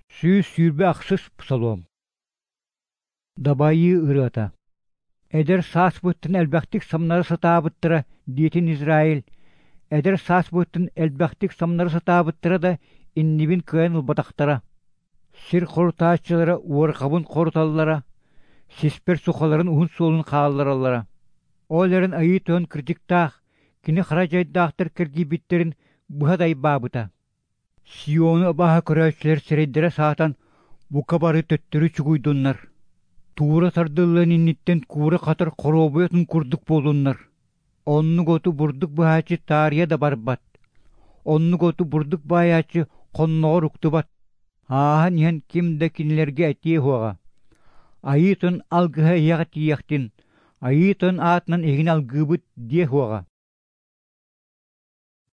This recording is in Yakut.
128 псалом. Дабайыы ырыата. Эдэр сааспыттан элбэхтик самнара сатаабыттара, диэтин Израиль. Эдэр сааспыттан элбэхтик самнара сатаабыттара да, иннибин кыайан ылбатахтара. Сир хорутааччылара уорҕабын хоруталлара, сиспэр сухаларын уһун суолун хааллараллара. Ол эрэн Айыы Тойон кырдьыктаах, кини хара дьайдаахтар киргийбиттэрин быһа дайбаабыта. Сиону абааһы көрөөччүлэр сирэйдэрэ саатан, бука бары төттөрү чугуйдуннар. Туура тардыллыан инниттэн куура хатар хоруобуйатын курдук буоллуннар. Оннук оту бурдук быһааччы таарыйа да барбат. Оннук оту бурдук баайааччы хонноҕор уктубат. Ааһан иһэн ким да кинилэргэ этиэ суоҕа: «Айыы Тойон алгыһа эһиэхэ тиийиэхтин, Айыы Тойон аатынан эһигини алгыыбыт» диэ суоҕа.